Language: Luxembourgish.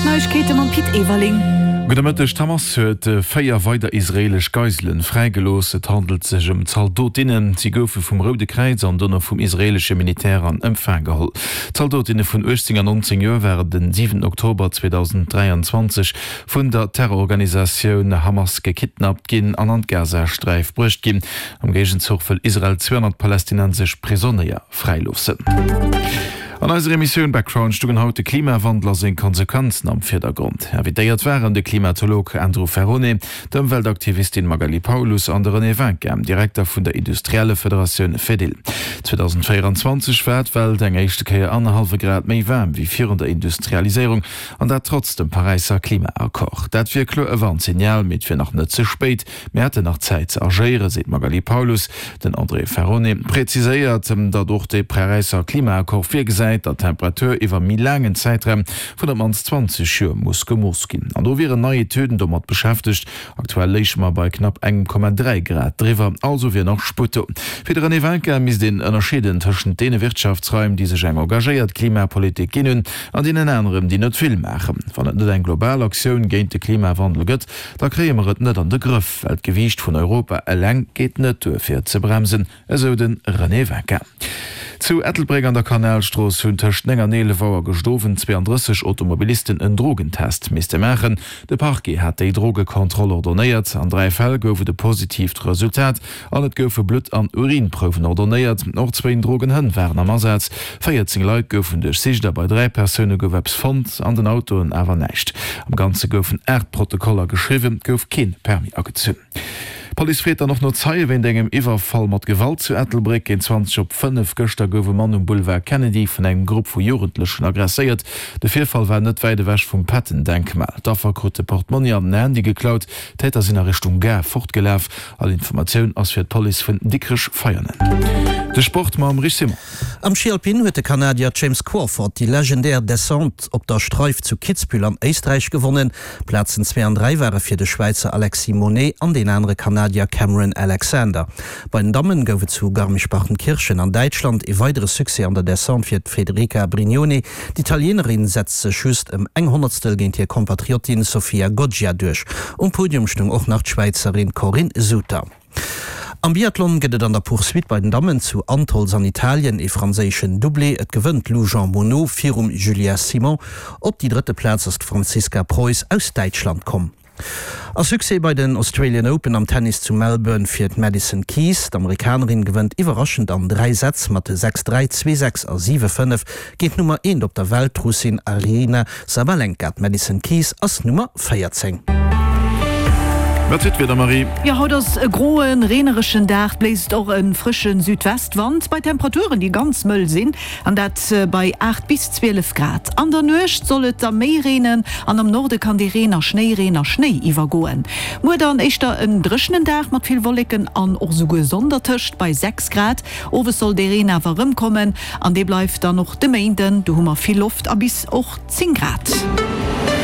D'Neiegkeete mam Pit Everling. Gudde Mëtteg, D'Hamas huet 4 weider israeelesch Geiselen fräigelooss. Et handelt sech ëm Zaldotinnen. Si goufe vum Roude Kräiz an dono vum israeelesche Militär an Empfang geholl. D'Zaldotinne vun 18 an 19 Joer waren den 7 Oktober 2023 vun der Terrororganisatioun Hamas gekidnappt ginn an an d'Gazasträif bruecht ginn. Am Géigenzuch wëll Israel 200 palästinensesch Prisonéier fräiloossen. An eiser Emissioun Background stungen haut de Klimawandel a seng Konsequenzen am Virdergrond. Invitéiert waren de Klimatolog Andrew Ferrone, d'Ëmweltaktivistin Magali Paulus an de René Winkin, Direkter vun der Industriellefederatioun Fedil. 2024 war d'Welt eng éischte Kéier annerhallwe Grad méi waarm wéi virun der Industrialiséierung. An dat trotz dem Paräisser Klimaaccord. Dat wier kloer e Warnsignal, mee et wier nach net ze spéit. Mir hätten nach Zäit ze agéieren, seet d'Magali Paulus. Den André Ferrone präziséiert, datt och de Paräisser Klimaaccord virgesäit, datt d'Temperatur iwwer méi laangen Zäitraum vun op d'mannst 20 Joer muss gemooss ginn. An do wieren nei Etüden domat beschäftegt. Aktuell léiche mer bei knapp engem Komma 3 Grad driwwer, also wier nach Sputt do. Fir de René Winkin misst een ënnerscheeden tëschent deene Wirtschaftsraim, déi sech eng engagéiert Klimapolitik ginn hunn, an deenen aneren, déi net vill maachen. Wann et net eng global Aktioun géint de Klimawandel gëtt, da kréie mer et net an de Grëff, well d'Gewiicht vun Europa eleng geet net duer fir et ze bremsen, esou de René Winkin. Zu Ettelbréck an der Kanalstrooss hunn tëscht 9 an 11 Auer gëscht Owend 32 Automobilisten en Drogentest misste maachen. De Parquet hat déi Drogekontroll ordonéiert. An 3 Fäll gouf et e positiivt Resultat an et goufe Blutt an Urinprouwen ordonéiert. Och zwéin Drogenhënn waren am Asaz. 14 Leit goufen duerchsicht a bei 3 Persoune gouf eppes fonnt, an den Autoen awer näischt. Am Ganze goufen 8 Protokoller geschriwwen, et gouf kee Permis agezunn. D'Police freet dann och no Zeie wéint engem Iwwerfall mat Gewalt zu Ettelbréck. Géint 20 op 5 gëschter gouf e Mann um Boulevard Kennedy vun engem Grupp vu Jugendlechen aggresséiert. De Virfall war net wäit ewech vum Patton-Denkmal. D'Affer krut de Portmonni an den Handy geklaut. D'Täter sinn a Richtung Gare fortgelaf. All Informatioun ass fir d'Police vun Dikrech-Veianen. De Sport mam Rich Simon. Am Schi Alpin huet de Kanadier James Crawford déi legendär Descente op der Streif zu Kitzbühel an Éisträich gewonnen. Plazen 2 an 3 ware fir de Schwäizer Alexis Monney an deen anere Kanadier Cameron Alexander. Bei den Dammen gouf et zu Garmisch-Partenkirchen an Däitschland ee weidere Succès an der Descente fir d'Federica Brignone. D'Italienerin setzt sech just ëm eng Honnertstel géint hir Kompatriottin Sofia Goggia duerch. Um Podium stoung och nach d'Schwäizerin Corinne Suter. Am Biathlon gëtt et an der Poursuite bei den Dammen zu Antholz an Italien ee franséischen Doublé. Et gewënnt d'Lou Jeanmonnot virum Julia Simon. Op déi drëtte Plaz ass d'Franziska Preuss aus Däitschland komm. A Succès bei den Australian Open am Tennis zu Melbourne fir d'Madison Keys. D'Amerikanerin gewënnt iwwerraschend an 3 Sätz mat 6, 3, 2, 6 a 7, 5 géint d'Nummer eent op der Welt, d'Russin Aryna Sabalenka, D'Madison Keys ass Nummer 14. Wat fir d'Wieder, Marie? Jo, haut ass e groen, reenereschen Dag, bléist och e frësche Südwestwand bei Temperaturen, déi ganz mëll sinn, an dat bei 8 bis 12 Grad. An der Nuecht soll et da méi reenen an am Norde kann dee Reen a Schnéireen a Schnéi iwwergoen. Muer dann éischter en dréchenen Dag mat vill Wolleken an och esouguer Sonn dertëscht bei 6 Grad. Owes soll dee Reen awer erëmkommen an dee bleift dann och de Méinden, do hu mer vill Loft a bis och 10 Grad.